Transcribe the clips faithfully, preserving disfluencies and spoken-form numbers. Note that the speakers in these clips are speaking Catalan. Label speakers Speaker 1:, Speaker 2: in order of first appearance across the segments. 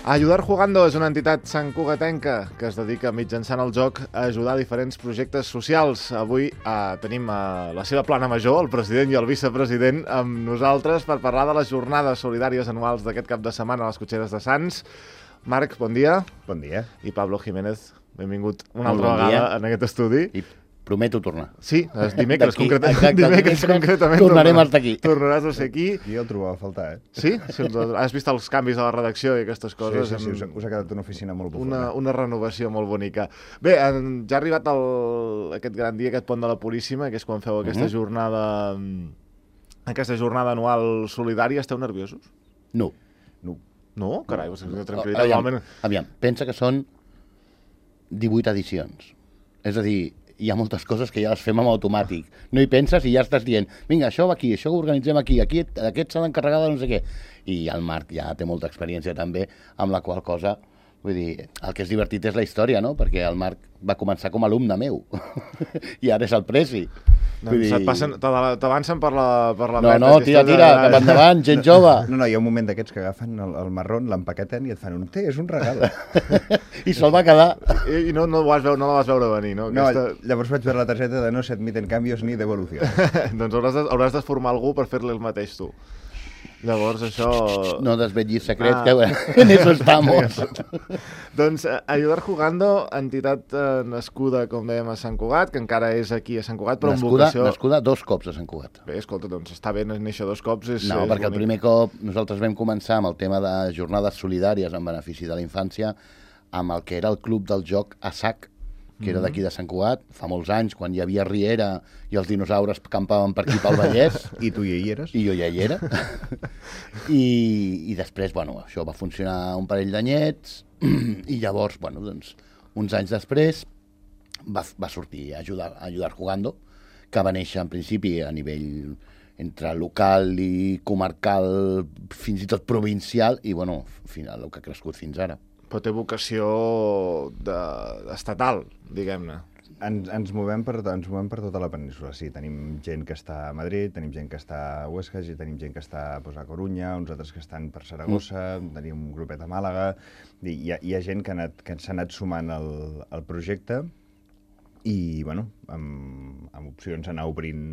Speaker 1: Ayudar Jugando és una entitat santcugatenca que es dedica mitjançant el joc a ajudar a diferents projectes socials. Avui eh, tenim a la seva plana major, el president i el vicepresident, amb nosaltres per parlar de les jornades solidàries anuals d'aquest cap de setmana a les Cotxeres de Sants. Marc, bon dia.
Speaker 2: Bon dia.
Speaker 1: I Pablo Jiménez, benvingut una
Speaker 3: Molt
Speaker 1: altra
Speaker 3: bon
Speaker 1: vegada
Speaker 3: dia.
Speaker 1: en aquest estudi.
Speaker 3: I prometo tornar.
Speaker 1: Sí, és dimecres,
Speaker 3: D'aquí,
Speaker 1: concreta...
Speaker 3: exacte,
Speaker 1: dimecres
Speaker 3: dimecres
Speaker 1: concretament.
Speaker 3: tornarem
Speaker 1: tornaràs-
Speaker 3: a estar aquí.
Speaker 1: Tornaràs a ser aquí.
Speaker 2: Jo el trobava a faltar, eh?
Speaker 1: Sí? sí has vist els canvis a la redacció i aquestes coses?
Speaker 2: Sí, sí, sí,
Speaker 1: En-
Speaker 2: us, ha- us ha quedat una oficina molt bufona.
Speaker 1: Una, una renovació molt bonica. Bé, en, ja ha arribat el, aquest gran dia, aquest pont de la Puríssima, que és quan feu aquesta
Speaker 3: Mhm.
Speaker 1: jornada aquesta jornada anual solidària. Esteu nerviosos?
Speaker 3: No.
Speaker 2: No.
Speaker 1: No? Carai, vos senteu tranquil·litat.
Speaker 3: Aviam,
Speaker 1: Normalment...
Speaker 3: aviam, pensa que són divuit edicions. És a dir, hi ha moltes coses que ja les fem en automàtic. No hi penses i ja estàs dient, vinga, això va aquí, això ho organitzem aquí, aquí aquest s'ha d'encarregar de no sé què. I el Marc ja té molta experiència també, amb la qual cosa, vull dir, el que és divertit és la història, no? Perquè el Marc va començar com a alumne meu i ara és el presi.
Speaker 1: Doncs et passen, t'ava- t'avancen per la, per la
Speaker 3: No,
Speaker 1: dreta,
Speaker 3: no,
Speaker 1: si
Speaker 3: tira,
Speaker 1: estàs
Speaker 3: tira,
Speaker 1: allà-
Speaker 3: cap endavant, gent jove.
Speaker 2: No, no, hi ha un moment d'aquests que agafen el, el marrón, l'empaqueten i et fan un té, és un regal.
Speaker 3: I se'l va quedar.
Speaker 1: I, i no, no, ho vas veure, no la vas veure venir, no?
Speaker 2: No,
Speaker 1: Aquesta...
Speaker 2: llavors vaig veure la targeta de no se admiten canvios ni devolucions.
Speaker 1: doncs hauràs de, hauràs de formar algú per fer-li el mateix tu. Llavors, això...
Speaker 3: No desvetllis secrets,
Speaker 1: Ah.
Speaker 3: que en eso estamos.
Speaker 1: Doncs eh, Ayudar Jugando, entitat eh, nascuda, com dèiem, a Sant Cugat, que encara és aquí a Sant Cugat, però
Speaker 3: Nascuda,
Speaker 1: amb vocació...
Speaker 3: nascuda dos cops a Sant Cugat.
Speaker 1: Bé, escolta, doncs està bé néixer dos cops. És,
Speaker 3: No,
Speaker 1: és
Speaker 3: perquè el
Speaker 1: bonic.
Speaker 3: primer cop nosaltres vam començar amb el tema de jornades solidàries en benefici de la infància, amb el que era el club del joc A S A C, que era d'aquí de Sant Cugat, fa molts anys, quan hi havia Riera i els dinosaures campaven per aquí pel Vallès,
Speaker 2: I tu hi eres?
Speaker 3: i jo ja hi era. I, I després, bueno, això va funcionar un parell d'anyets, i llavors, bueno, doncs, uns anys després, va, va sortir a ajudar, a ajudar Jugando, que va néixer en principi a nivell entre local i comarcal, fins i tot provincial, i bueno, final, el que ha crescut fins ara.
Speaker 1: Però té vocació de, estatal, diguem-ne.
Speaker 2: Ens, ens, movem per, ens movem per tota la península, sí. Tenim gent que està a Madrid, tenim gent que està a Huesca, i tenim gent que està pues, a Corunya, uns altres que estan per Saragossa, mm. tenim un grupet a Màlaga, i hi ha, hi ha gent que, ha anat, que s'ha anat sumant al, al projecte i, bueno, amb, amb opcions a anar obrint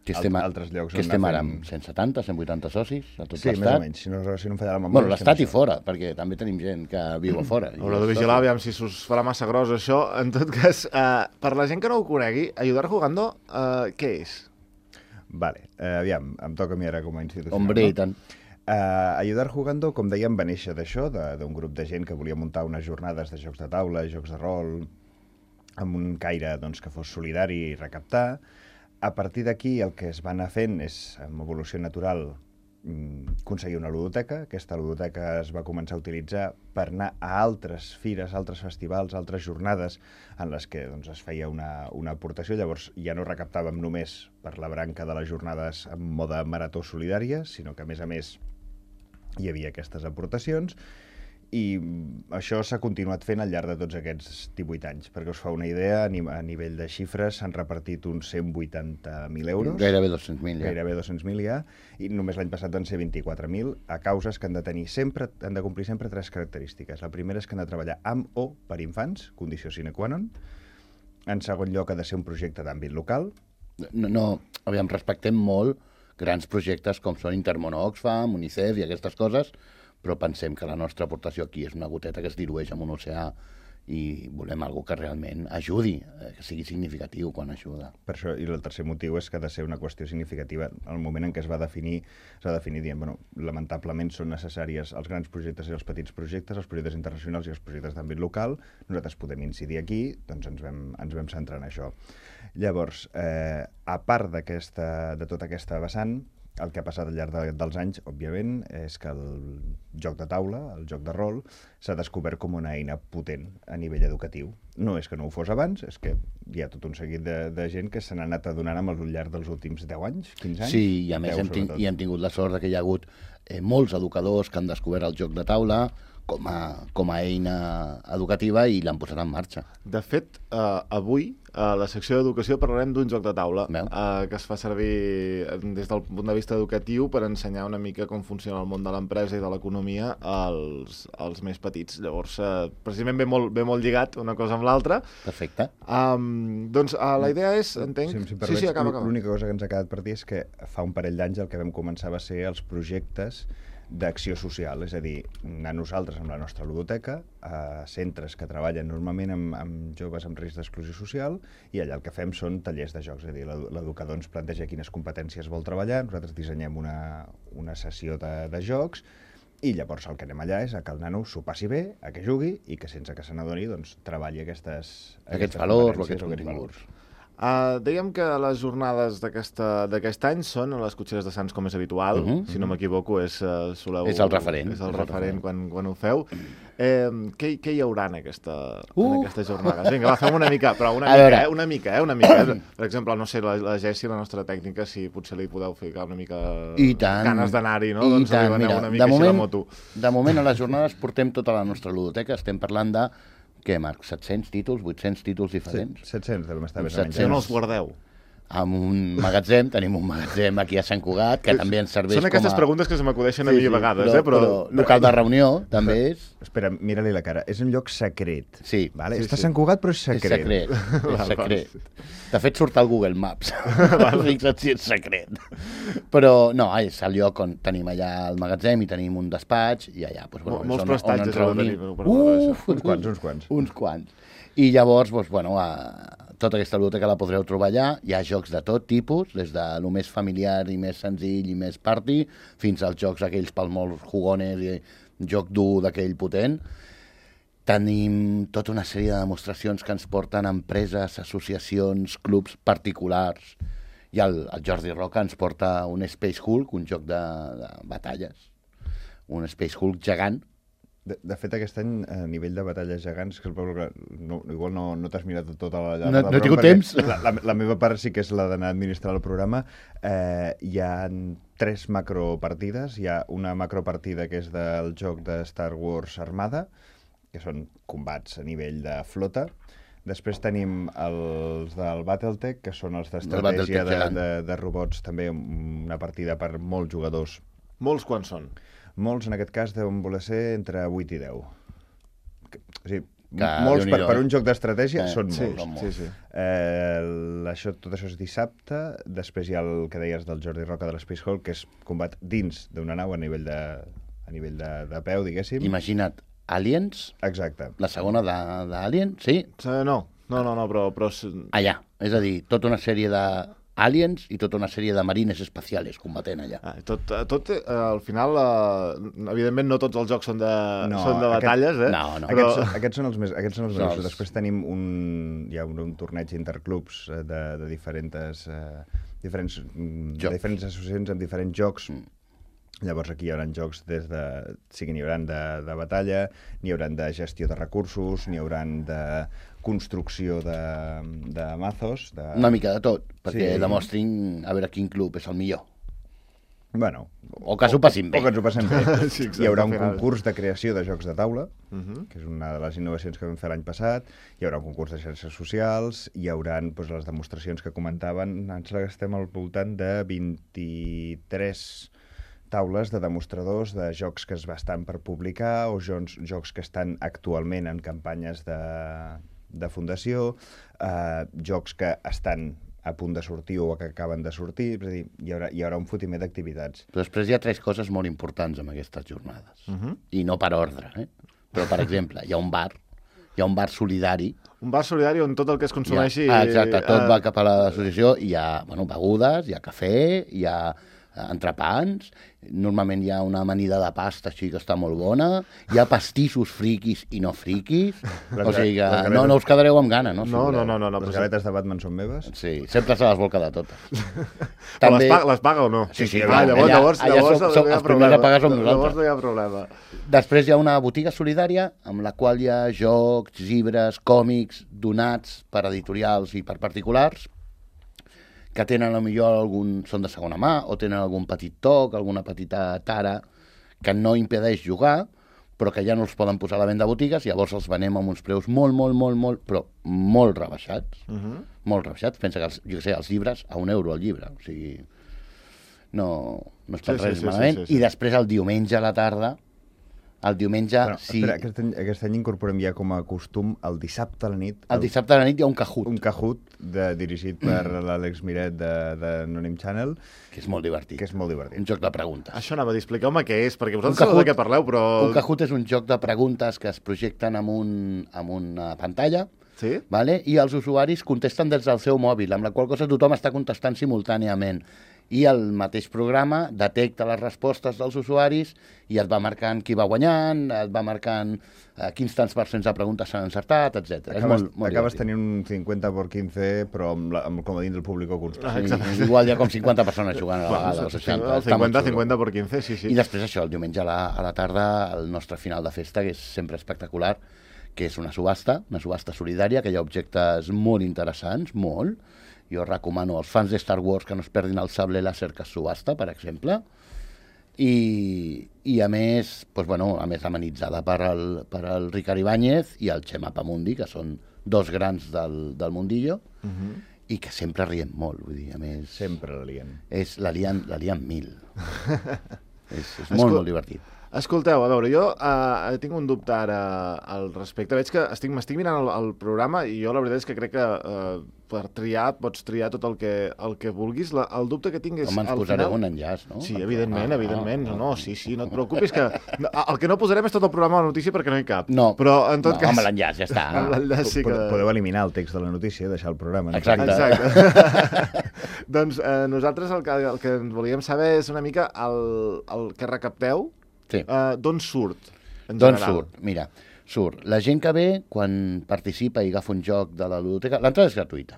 Speaker 3: Que
Speaker 2: alt,
Speaker 3: estem, a,
Speaker 2: altres llocs.
Speaker 3: que
Speaker 2: on
Speaker 3: estem
Speaker 2: anar
Speaker 3: ara
Speaker 2: fent-
Speaker 3: amb cent setanta, cent vuitanta socis a tot
Speaker 2: Sí, més o
Speaker 3: l'estat.
Speaker 2: menys, si no, si no em falla la memòria.
Speaker 3: Bueno, l'estat i
Speaker 2: estem
Speaker 3: fora, perquè també tenim gent que viu a fora.
Speaker 1: Haurà de vigilar, aviam si us farà massa gros això. En tot cas, eh, per la gent que no ho conegui, Ayudar Jugando, eh, què és?
Speaker 2: Vale, eh, aviam, em toca a mi ara com a institució.
Speaker 3: Hombre,
Speaker 2: no?
Speaker 3: i tant.
Speaker 2: Uh, Ayudar Jugando, com dèiem, va néixer d'això, de- d'un grup de gent que volia muntar unes jornades de jocs de taula, jocs de rol, amb un caire doncs, que fos solidari i recaptar. A partir d'aquí el que es va anar fent és, amb evolució natural, mm, aconseguir una ludoteca. Aquesta ludoteca es va començar a utilitzar per anar a altres fires, altres festivals, altres jornades en les que doncs, es feia una, una aportació. Llavors ja no recaptàvem només per la branca de les jornades en mode marató solidària, sinó que a més a més hi havia aquestes aportacions, i això s'ha continuat fent al llarg de tots aquests divuit anys. Perquè us fa una idea, a, ni a nivell de xifres s'han repartit uns cent vuitanta mil euros.
Speaker 3: Gairebé dos-cents mil, ja.
Speaker 2: Gairebé dos-cents mil ja, i només l'any passat van ser vint-i-quatre mil, a causes que han de tenir sempre, han de complir sempre tres característiques. La primera és que han de treballar amb o per infants, condició sine qua non. En segon lloc, ha de ser un projecte d'àmbit local.
Speaker 3: No, no, aviam, respectem molt grans projectes com són Intermón Oxfam, UNICEF i aquestes coses, però pensem que la nostra aportació aquí és una goteta que es dilueix en un oceà i volem algo que realment ajudi, que sigui significatiu quan ajuda.
Speaker 2: Per això, i el tercer motiu és que ha de ser una qüestió significativa. Al moment en què es va definir, s'ha de definir dient, bueno, lamentablement són necessàries els grans projectes i els petits projectes, els projectes internacionals i els projectes d'àmbit local. Nosaltres podem incidir aquí, doncs ens vam, ens vam centrar en això. Llavors, eh, a part d'aquesta, de tota aquesta vessant, el que ha passat al llarg de, dels anys, òbviament, és que el joc de taula, el joc de rol, s'ha descobert com una eina potent a nivell educatiu. No és que no ho fos abans, és que hi ha tot un seguit de, de gent que se n'ha anat adonant amb el llarg dels últims deu anys, quinze anys.
Speaker 3: Sí, i a més
Speaker 2: deu,
Speaker 3: hem, ting
Speaker 2: sobretot.
Speaker 3: i hem tingut la sort de que hi ha hagut eh, molts educadors que han descobert el joc de taula, com a, com a eina educativa i l'han posat en marxa.
Speaker 1: De fet, eh, avui, a la secció d'educació, parlarem d'un joc de taula eh, que es fa servir des del punt de vista educatiu per ensenyar una mica com funciona el món de l'empresa i de l'economia als, als més petits. Llavors, eh, precisament ve molt, ve molt lligat una cosa amb l'altra.
Speaker 3: Perfecte.
Speaker 1: Um, doncs uh, la idea és, entenc...
Speaker 2: Si, si
Speaker 1: sí, sí, acaba, acaba.
Speaker 2: L'única cosa que ens ha quedat per dir és que fa un parell d'anys el que vam començar va ser els projectes d'acció social, és a dir, anar nosaltres amb la nostra ludoteca a centres que treballen normalment amb, amb joves amb risc d'exclusió social i allà el que fem són tallers de jocs, és a dir, l'educador ens planteja quines competències vol treballar, nosaltres dissenyem una, una sessió de, de jocs i llavors el que anem allà és a que el nano s'ho passi bé, a que jugui i que sense que se n'adoni doncs, treballi aquestes,
Speaker 3: aquests
Speaker 2: aquestes
Speaker 3: valors o aquests
Speaker 2: aquests
Speaker 3: continguts.
Speaker 1: Uh, dèiem que les jornades d'aquest any són a les Cotxeres de Sants com és habitual, uh -huh. si no m'equivoco és, uh, soleu,
Speaker 3: és el referent,
Speaker 1: és el és referent, el referent. Quan, quan ho feu. Eh, què, què hi haurà en, aquesta, uh. en aquestes jornades? Vinga, va, fem una mica, però una mica, eh, una mica, eh, una mica. Eh? Per exemple, no sé, la, la Jessi, la nostra tècnica, si potser li podeu ficar una mica
Speaker 3: I tant,
Speaker 1: ganes d'anar-hi, no?
Speaker 3: I
Speaker 1: Doncs
Speaker 3: tant, mira,
Speaker 1: una mica
Speaker 3: de moment,
Speaker 1: així la moto.
Speaker 3: De moment a les jornades portem tota la nostra ludoteca, estem parlant de, què, Marc, set-cents títols, vuit-cents títols diferents?
Speaker 2: Sí, set-cents devem estar més o menys.
Speaker 1: I on els guardeu?
Speaker 3: Amb un magatzem, tenim un magatzem aquí a Sant Cugat, que també ens serveix com a...
Speaker 1: Són aquestes preguntes que se m'acudeixen a mi a vegades,
Speaker 3: però,
Speaker 1: eh? Però...
Speaker 3: però local de reunió, també és...
Speaker 2: Espera, mira-li la cara. És un lloc secret.
Speaker 3: Sí.
Speaker 2: Vale?
Speaker 1: sí
Speaker 2: Està a
Speaker 1: sí.
Speaker 2: Sant Cugat, però és secret.
Speaker 3: És secret, és secret. De fet, surt al Google Maps. Fixa't si és secret. Però, no, és el lloc on tenim allà el magatzem i tenim un despatx i allà, doncs, bueno,
Speaker 1: Molts
Speaker 3: on,
Speaker 1: prestatges
Speaker 3: on ens
Speaker 1: heu de
Speaker 3: reunim.
Speaker 1: tenir.
Speaker 3: Uf,
Speaker 2: Uns quants, uns quants.
Speaker 3: Uns quants. I llavors, doncs, bueno, a... tota aquesta biblioteca la podreu trobar allà. Hi ha jocs de tot tipus, des de lo més familiar i més senzill i més party, fins als jocs aquells pels molts jugones i joc dur d'aquell potent. Tenim tota una sèrie de demostracions que ens porten empreses, associacions, clubs particulars. I el, el Jordi Roca ens porta un Space Hulk, un joc de, de batalles. Un Space Hulk gegant.
Speaker 2: De, de fet, aquest any, a nivell de batalles gegants, que no, igual no, no t'has mirat tota la llarga...
Speaker 3: No, no he tingut temps.
Speaker 2: La, la, la meva part sí que és la d'anar a administrar el programa. Eh, hi ha tres macropartides. Hi ha una macropartida que és del joc de Star Wars Armada, que són combats a nivell de flota. Després tenim els del Battletech, que són els d'estratègia de, de, de robots, també una partida per molts jugadors.
Speaker 1: Molts quants són?
Speaker 2: Molts, en aquest cas, deuen voler ser entre vuit i deu. O sigui,
Speaker 3: que,
Speaker 2: molts per, per un joc d'estratègia eh, són
Speaker 1: sí,
Speaker 2: molts.
Speaker 1: Sí, sí.
Speaker 2: Eh, això, tot això és dissabte. Després hi ha el que deies del Jordi Roca de l'Space Hulk, que és combat dins d'una nau a nivell de, a nivell de, de peu, diguéssim.
Speaker 3: Imagina't, Aliens.
Speaker 2: Exacte.
Speaker 3: La segona d'Alien, sí?
Speaker 1: Uh, no, no, no, no, però... però...
Speaker 3: Allà, és a dir, tota una sèrie de aliens i tota una sèrie de marines espacials combatent allà.
Speaker 1: Ah, tot, tot eh, al final, eh, evidentment no tots els jocs són de,
Speaker 2: no,
Speaker 1: són de batalles,
Speaker 2: aquest,
Speaker 1: eh?
Speaker 3: No, no.
Speaker 2: Però... Aquests, aquests són els més... Aquests són els
Speaker 3: no,
Speaker 2: més
Speaker 3: els...
Speaker 2: Després tenim un... Hi ha un, un torneig interclubs de, de diferents... Eh, diferents, de diferents associacions amb diferents jocs. Mm. Llavors aquí hi haurà jocs des de... Sí que n'hi haurà de, de batalla, n'hi haurà de gestió de recursos, n'hi haurà de construcció de, de mazos... De...
Speaker 3: Una mica de tot, perquè
Speaker 2: sí.
Speaker 3: demostrin a veure quin club és el millor.
Speaker 2: Bueno,
Speaker 3: o que s'ho passin bé.
Speaker 2: O que ens ho passem bé.
Speaker 1: Sí, exacte,
Speaker 2: hi haurà un concurs de creació de jocs de taula,
Speaker 1: uh -huh.
Speaker 2: que és una de les innovacions que vam fer l'any passat. Hi haurà un concurs de xarxes socials, hi haurà doncs, les demostracions que comentaven. Ens estem al voltant de vint-i-tres taules de demostradors de jocs que es estan per publicar o jocs, jocs que estan actualment en campanyes de, de fundació, eh, jocs que estan a punt de sortir o que acaben de sortir, és a dir, hi haurà, hi haurà un fotimer d'activitats.
Speaker 3: Però després hi ha tres coses molt importants en aquestes jornades,
Speaker 1: uh -huh.
Speaker 3: i no per ordre, eh? Però, per exemple, hi ha un bar, hi ha un bar solidari.
Speaker 1: Un bar solidari on tot el que es consumeixi...
Speaker 3: Ha, exacte, tot
Speaker 1: eh...
Speaker 3: va cap a l'associació, hi ha bueno, begudes, hi ha cafè, hi ha entrepans, normalment hi ha una amanida de pasta així que està molt bona, hi ha pastissos friquis i no friquis, o sigui que galetes... no, no us quedareu amb gana, no?
Speaker 1: No, no, no, no, no.
Speaker 2: Les galetes de Batman són meves?
Speaker 3: Sí, sempre se les vol quedar totes.
Speaker 1: També... les, paga, les paga o no?
Speaker 3: Sí, sí.
Speaker 1: Ah, llavors,
Speaker 3: allà,
Speaker 1: llavors,
Speaker 3: allà
Speaker 1: llavors
Speaker 3: som,
Speaker 1: no
Speaker 3: som,
Speaker 1: hi ha
Speaker 3: els primers a pagar som nosaltres.
Speaker 1: Llavors no hi ha problema.
Speaker 3: Després hi ha una botiga solidària amb la qual hi ha jocs, llibres, còmics, donats per editorials i per particulars, que tenen potser algun, són de segona mà o tenen algun petit toc, alguna petita tara que no impedeix jugar, però que ja no els poden posar a la venda a botigues, llavors els venem amb uns preus molt, molt, molt, molt, però molt rebaixats, uh -huh. molt rebaixats. Pensa que, els, jo sé, els llibres, a un euro el llibre, o sigui, no, no està
Speaker 1: sí,
Speaker 3: res
Speaker 1: sí, sí,
Speaker 3: malament.
Speaker 1: sí, sí, sí.
Speaker 3: I després el diumenge a la tarda, el diumenge...
Speaker 2: Bueno,
Speaker 3: sí,
Speaker 2: espera, aquest any, aquest any incorporem ja com a costum el dissabte a la nit.
Speaker 3: el dissabte a la nit hi ha un Kahoot,
Speaker 2: Un Kahoot de, dirigit per l'Àlex Miret de, de Anonym Channel,
Speaker 3: que és molt divertit.
Speaker 2: que és molt divertit.
Speaker 3: Un joc de preguntes.
Speaker 1: Això anava a dir, expliqueu-me què és, perquè vosaltres
Speaker 3: Un
Speaker 1: sabeu de
Speaker 3: Kahoot-
Speaker 1: què parleu, però...
Speaker 3: Un Kahoot és un joc de preguntes que es projecten amb, un, amb una pantalla,
Speaker 1: Sí?
Speaker 3: vale? I els usuaris contesten des del seu mòbil, amb la qual cosa tothom està contestant simultàniament. I el mateix programa detecta les respostes dels usuaris i et va marcant qui va guanyant, et va marcant eh, quins tants per cents de preguntes s'han encertat, etcètera.
Speaker 2: Acabes,
Speaker 3: És molt, molt
Speaker 2: acabes
Speaker 3: divertit.
Speaker 2: tenint un cinquanta per quinze, però amb, la, amb el comodín del públic constant.
Speaker 1: Ah, exacte.
Speaker 3: Sí, igual hi ha com cinquanta persones jugant a la vegada, o seixanta.
Speaker 1: El
Speaker 3: està molt
Speaker 1: cinquanta,
Speaker 3: xulo.
Speaker 1: cinquanta per quinze, sí, sí.
Speaker 3: I després això, el diumenge a la, a la tarda, el nostre final de festa, que és sempre espectacular, que és una subhasta, una subhasta solidària, que hi ha objectes molt interessants, molt. Jo recomano als fans de Star Wars que no es perdin el sable làser que es subhasta, per exemple. I, i a més, doncs, bueno, a més amenitzada per el, per el Ricard Ibáñez i el Xema Pamundi, que són dos grans del, del mundillo, uh -huh. i que sempre riem molt, vull dir, a més...
Speaker 2: Sempre la lien.
Speaker 3: És, la lien, la lien mil. és és
Speaker 1: Escol-
Speaker 3: molt, molt divertit.
Speaker 1: Escolteu, a veure, jo uh, tinc un dubte ara al respecte. Veig que estic, m'estic mirant el, el programa i jo la veritat és que crec que uh, per triar pots triar tot el que, el que vulguis. La, el dubte que tinc és...
Speaker 3: Home, ens
Speaker 1: al
Speaker 3: posareu
Speaker 1: final...
Speaker 3: un enllaç, no?
Speaker 1: Sí, evidentment,
Speaker 3: Ah,
Speaker 1: evidentment.
Speaker 3: ah,
Speaker 1: No, no, sí, sí, no et preocupis que... No, el que no posarem és tot el programa de la notícia perquè no hi cap.
Speaker 3: No,
Speaker 1: Però en tot
Speaker 3: no,
Speaker 1: cas...
Speaker 3: amb l'enllaç, ja està.
Speaker 1: Amb l'enllaç sí que...
Speaker 2: Podeu, podeu eliminar el text de la notícia i deixar el programa. No?
Speaker 3: Exacte.
Speaker 1: Exacte. Doncs eh, nosaltres el que, el que volíem saber és una mica el, el que recapteu,
Speaker 3: Sí.
Speaker 1: eh, d'on surt, en
Speaker 3: D'on
Speaker 1: general.
Speaker 3: surt? Mira, surt. La gent que ve, quan participa i agafa un joc de la ludoteca, l'entrada és gratuïta,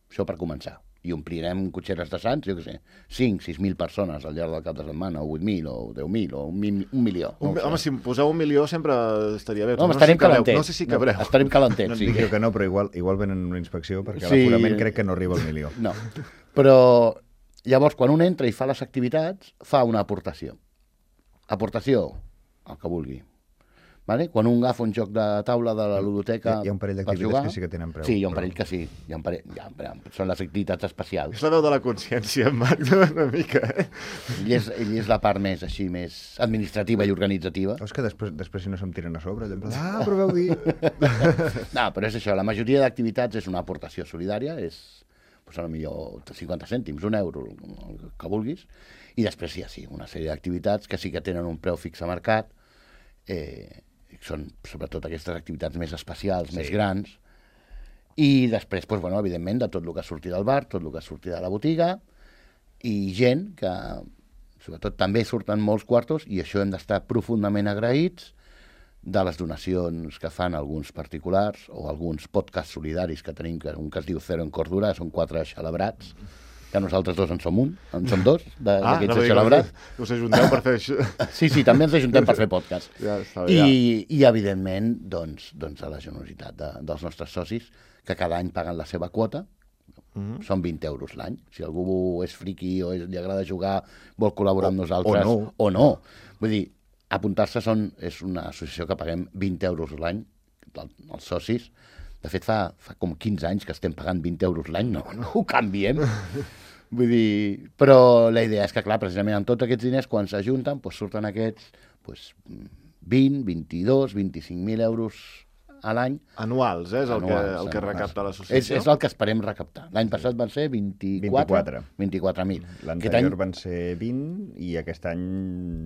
Speaker 3: això per començar. I omplirem cotxeres de Sants, jo què sé, cinc, sis mil persones al llarg del cap de setmana, o vuit mil, o deu mil, o un, mi- un milió. No
Speaker 1: Un,
Speaker 3: ho sé.
Speaker 1: home, si em poseu un milió sempre estaria bé.
Speaker 3: No, home,
Speaker 1: sé
Speaker 3: estarem
Speaker 1: si cabreu.
Speaker 3: calentets.
Speaker 1: No sé si cabreu.
Speaker 3: No, estarem calentets,
Speaker 2: No et
Speaker 3: sí.
Speaker 2: dic jo que no, però igual, igual venen una inspecció perquè
Speaker 3: Sí.
Speaker 2: l'aforament crec que no arriba al milió.
Speaker 3: No, però llavors quan un entra i fa les activitats, fa una aportació. Aportació, el que vulgui. Vale? Quan un agafa un joc de taula de la ludoteca...
Speaker 2: Hi ha- hi ha un parell
Speaker 3: per
Speaker 2: d'activitats
Speaker 3: jugar-
Speaker 2: que sí que tenen preu,
Speaker 3: Sí, hi ha un
Speaker 2: però-
Speaker 3: parell que sí. Hi ha un parell, hi ha, hi ha, són les activitats especials.
Speaker 1: És la veu de la consciència, en Marc, una mica, eh?
Speaker 3: Ell és, ell és la part més, així, més administrativa i organitzativa.
Speaker 2: Veus que després, després si no se'm tiren a sobre, allò en plan, ah, però veu dir...
Speaker 3: No, però és això, la majoria d'activitats és una aportació solidària, és, doncs, a lo millor cinquanta cèntims, un euro, el que vulguis, i després sí, sí, una sèrie d'activitats que sí que tenen un preu fix a mercat, eh, són sobretot aquestes activitats més especials, sí. més grans, i després, doncs, bueno, evidentment, de tot el que surti del bar, tot el que surti de la botiga, i gent que, sobretot, també surten molts quartos, i això hem d'estar profundament agraïts, de les donacions que fan alguns particulars o alguns podcasts solidaris que tenim, que un que es diu Zero en Cordura, són quatre xalabrats, que nosaltres dos en som un, en som dos,
Speaker 1: Ah,
Speaker 3: d'aquests
Speaker 1: no
Speaker 3: no
Speaker 1: dic,
Speaker 3: xalabrats.
Speaker 1: us ajunteu per fer això.
Speaker 3: Sí, sí, també ens ajuntem per fer podcast.
Speaker 1: Ja està bé,
Speaker 3: I, I, evidentment, doncs, doncs a la generositat de, dels nostres socis, que cada any paguen la seva quota,
Speaker 1: Mhm.
Speaker 3: són vint euros l'any. Si algú és friqui o és, li agrada jugar, vol col·laborar amb nosaltres,
Speaker 2: o no.
Speaker 3: o no. Vull dir, apuntar-se són, és una associació que paguem vint euros l'any, els socis. De fet, fa, fa com quinze anys que estem pagant vint euros l'any, no, no ho canviem. Vull dir, però la idea és que, clar, precisament amb tots aquests diners, quan s'ajunten, doncs surten aquests doncs, vint, vint-i-dos, vint-i-cinc mil euros a l'any.
Speaker 1: Anuals, eh? És el,
Speaker 3: Anuals,
Speaker 1: que, el que
Speaker 3: anuals.
Speaker 1: recapta
Speaker 3: És,
Speaker 1: l'associació.
Speaker 3: és el que esperem recaptar. L'any passat van ser vint-i-quatre vint-i-quatre mil.
Speaker 2: L'anterior van ser vint i aquest any...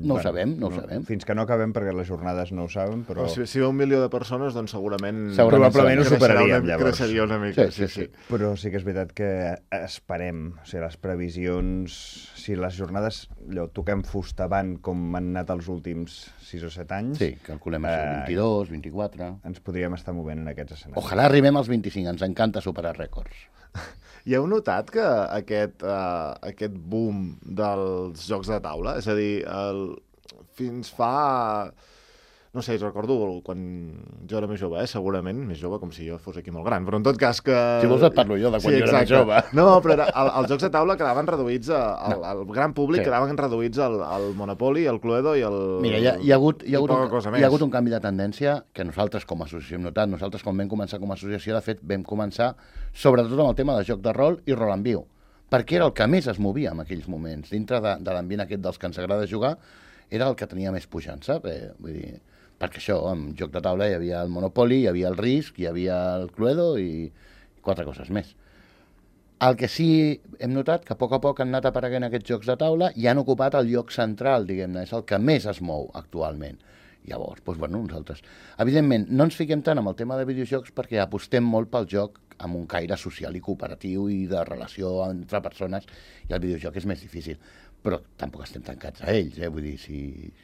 Speaker 3: No ho sabem, no ho sabem.
Speaker 2: Fins que no acabem perquè les jornades no ho saben, però...
Speaker 1: Però si, si ve un milió de persones, doncs segurament...
Speaker 3: Segurament
Speaker 2: Probablement ho
Speaker 1: creixerà
Speaker 2: superaríem,
Speaker 1: una,
Speaker 2: llavors.
Speaker 1: creixeria una mica,
Speaker 3: Sí,
Speaker 1: sí,
Speaker 3: sí,
Speaker 1: sí.
Speaker 2: Però sí que és veritat que esperem, o sigui, les previsions, si les jornades allò, toquem fusta avant com han anat els últims sis o set anys,
Speaker 3: Sí, calculem això,
Speaker 2: Eh,
Speaker 3: vint-i-dos, vint-i-quatre...
Speaker 2: ens podríem estar movent en aquests escenaris.
Speaker 3: Ojalà arribem als vint-i-cinc, ens encanta superar rècords.
Speaker 1: I heu notat que aquest, uh, aquest boom dels jocs de taula, és a dir, el, fins fa... no sé, recordo quan jo era més jove, eh? Segurament, més jove, com si jo fos aquí molt gran, però en tot cas que...
Speaker 3: Si vols et parlo jo de quan
Speaker 1: sí,
Speaker 3: jo era més jove.
Speaker 1: No, però era, el, els jocs de taula quedaven reduïts, a, al, no. al gran públic sí. quedaven reduïts al, al Monopoly, al Cluedo i al...
Speaker 3: Mira, hi ha, hi ha, hagut, hi ha, hagut un, hi ha hagut un canvi de tendència que nosaltres com a associació hem notat. Nosaltres quan vam començar com a associació, de fet, vam començar sobretot amb el tema de joc de rol i rol en viu, perquè era el que més es movia en aquells moments. Dintre de, de l'ambient aquest dels que ens agrada jugar, era el que tenia més pujança. Eh, vull dir, perquè això, en joc de taula hi havia el Monopoly, hi havia el Risk, hi havia el Cluedo i quatre coses més. El que sí hem notat que a poc a poc han anat apareguent aquests jocs de taula i han ocupat el lloc central, diguem-ne, és el que més es mou actualment. Llavors, doncs, bueno, nosaltres... Evidentment, no ens fiquem tant amb el tema de videojocs perquè apostem molt pel joc amb un caire social i cooperatiu i de relació entre persones, i el videojoc és més difícil. Però tampoc estem tancats a ells, eh? Vull dir, si,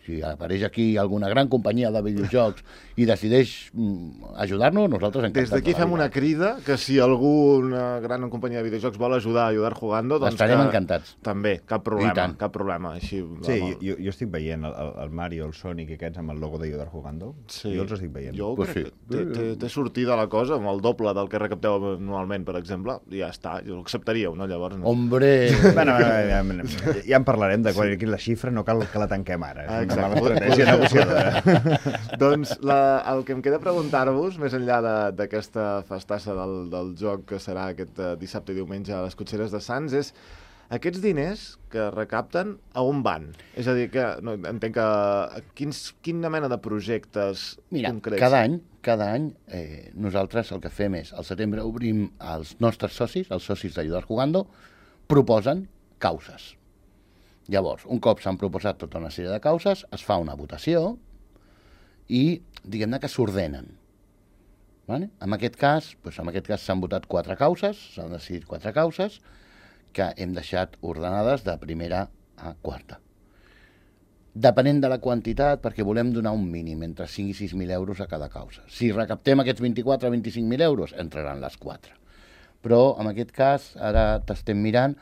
Speaker 3: si apareix aquí alguna gran companyia de videojocs i decideix mm, ajudar-nos, nosaltres encantats.
Speaker 1: Des d'aquí fem una crida que si alguna gran companyia de videojocs vol ajudar a Ayudar Jugando, doncs
Speaker 3: estarem
Speaker 1: que...
Speaker 3: encantats.
Speaker 1: També, cap problema, cap problema. Així,
Speaker 2: sí, jo, jo estic veient el, el Mario, el Sonic i aquests amb el logo d'Ayudar Jugando. Sí. Jo els estic veient.
Speaker 1: Jo
Speaker 3: pues
Speaker 1: crec
Speaker 3: sí.
Speaker 1: que té, té sortida la cosa, amb el doble del que recapteu anualment, per exemple, i ja està, jo l'acceptaríeu, no? Llavors, no.
Speaker 3: Hombre!
Speaker 2: bueno, ja, ja, ja en parlarem de quan sí. la xifra, no cal que la tanquem ara. És
Speaker 1: exacte.
Speaker 2: una estratègia negociadora.
Speaker 1: Doncs la, el que em queda preguntar-vos, més enllà d'aquesta festassa del, del joc que serà aquest uh, dissabte i diumenge a les Cotxeres de Sants, és aquests diners que recapten a on van? És a dir, que no, entenc que quins, quina mena de projectes
Speaker 3: Mira,
Speaker 1: concrets?
Speaker 3: cada any, cada any eh, nosaltres el que fem és, al setembre obrim als nostres socis, els socis d'Ayudar Jugando, proposen causes. Llavors, un cop s'han proposat tota una sèrie de causes, es fa una votació i, diguem-ne, que s'ordenen. Vale? En aquest cas, doncs, en aquest cas s'han votat quatre causes, s'han decidit quatre causes, que hem deixat ordenades de primera a quarta. Depenent de la quantitat, perquè volem donar un mínim entre cinc i sis mil euros a cada causa. Si recaptem aquests vint-i-quatre a vint-i-cinc mil euros, entraran les quatre. Però, en aquest cas, ara t'estem mirant,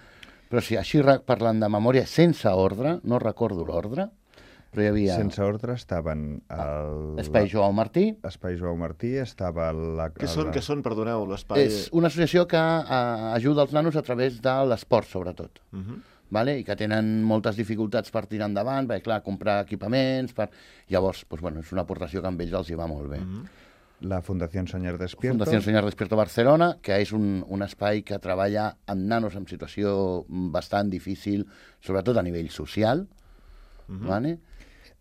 Speaker 3: però si així parlant de memòria, sense ordre, no recordo l'ordre, però hi havia...
Speaker 2: Sense ordre estaven... El...
Speaker 3: Espai Joao Martí.
Speaker 2: Espai Joao Martí, estava... La...
Speaker 1: Què són, què són, perdoneu, l'espai...
Speaker 3: És una associació que uh, ajuda els nanos a través de l'esport, sobretot. Uh -huh. Vale? I que tenen moltes dificultats per tirar endavant, perquè, clar, comprar equipaments... Per... Llavors, doncs, bueno, és una aportació que amb ells els hi va molt bé. Uh -huh.
Speaker 2: La Fundació Soñar Despierto.
Speaker 3: Fundació Soñar Despierto Barcelona, que és un, un espai que treballa amb nanos en situació bastant difícil, sobretot a nivell social. Uh-huh. Vale?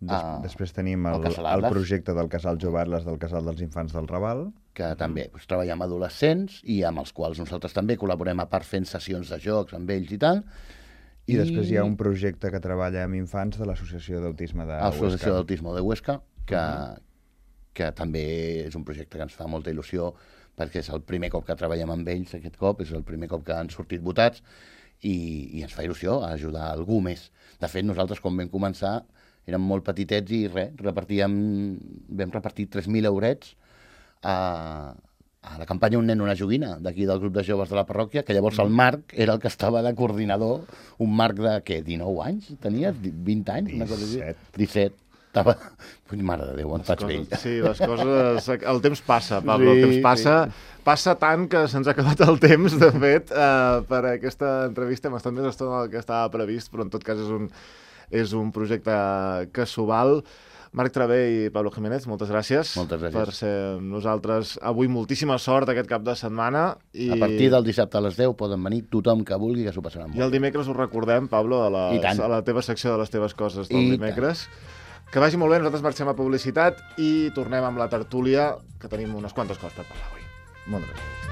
Speaker 2: Des, uh, després tenim el, el, el projecte del Casal Jove Atles, del Casal dels Infants del Raval.
Speaker 3: Que uh-huh. també doncs, treballa amb adolescents i amb els quals nosaltres també col·laborem a part fent sessions de jocs amb ells i tal.
Speaker 2: I, I després hi ha un projecte que treballa amb infants de l'Associació d'Autisme de Huesca.
Speaker 3: L'Associació d'Autisme de Huesca, que... Uh-huh. que també és un projecte que ens fa molta il·lusió perquè és el primer cop que treballem amb ells aquest cop, és el primer cop que han sortit votats i, i ens fa il·lusió a ajudar algú més. De fet, nosaltres quan vam començar érem molt petitets i res, repartíem, vam repartir tres mil eurets a, a la campanya Un nen, una joguina, d'aquí del grup de joves de la parròquia, que llavors el Marc era el que estava de coordinador, un Marc de, què, dinou anys? Tenies? vint anys? Una cosa així? disset. Estava... Mare de Déu, on faig vell.
Speaker 1: Sí, les coses... El temps passa, Pablo, sí, el temps passa. Sí. Passa tant que se'ns ha acabat el temps, de fet, eh, per aquesta entrevista. Hem estat més estona del que estava previst, però en tot cas és un, és un projecte que s'ho val. Marc Travé i Pablo Jiménez, moltes gràcies,
Speaker 3: moltes gràcies
Speaker 1: per ser amb nosaltres. Avui moltíssima sort aquest cap de setmana. I...
Speaker 3: A partir del dissabte a les deu poden venir tothom que vulgui, que s'ho passaran molt.
Speaker 1: I el dimecres ho recordem, Pablo, a, les, a la teva secció de les teves coses del I dimecres. Tant. Que vagi molt bé, nosaltres marxem a publicitat i tornem amb la tertúlia, que tenim unes quantes coses per parlar avui.
Speaker 2: Moltes gràcies.